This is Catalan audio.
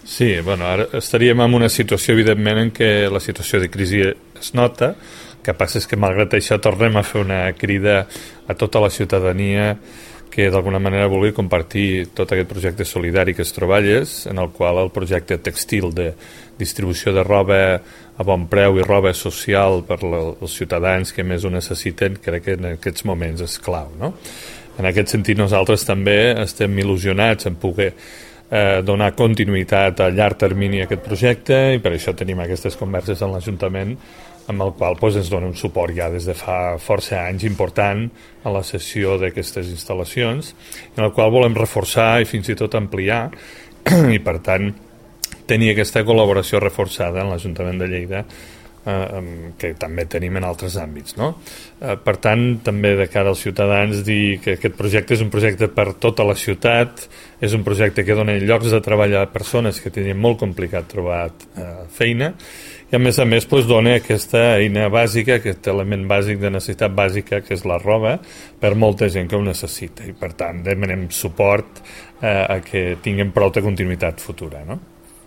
Sí, bueno, ara estaríem en una situació, evidentment, en què la situació de crisi es nota. El que passa és que, malgrat això, tornem a fer una crida a tota la ciutadania que d'alguna manera vulgui compartir tot aquest projecte solidari que es treballes, en el qual el projecte textil de distribució de roba a bon preu i roba social per als ciutadans que més ho necessiten, crec que en aquests moments és clau, no? En aquest sentit, nosaltres també estem il·lusionats en poder donar continuïtat a llarg termini a aquest projecte, i per això tenim aquestes converses en l'Ajuntament, amb el qual ens dona un suport ja des de fa força anys important a la cessió d'aquestes instal·lacions, en el qual volem reforçar i fins i tot ampliar, i per tant tenir aquesta col·laboració reforçada en l'Ajuntament de Lleida, que també tenim en altres àmbits, no? Per tant, també de cara als ciutadans, dir que aquest projecte és un projecte per tota la ciutat, és un projecte que dona llocs de treball a persones que tenien molt complicat trobar feina, i a més dona aquesta eina bàsica, aquest element bàsic de necessitat bàsica, que és la roba, per molta gent que ho necessita, i per tant demanem suport a que tinguem prou de continuïtat futura, no?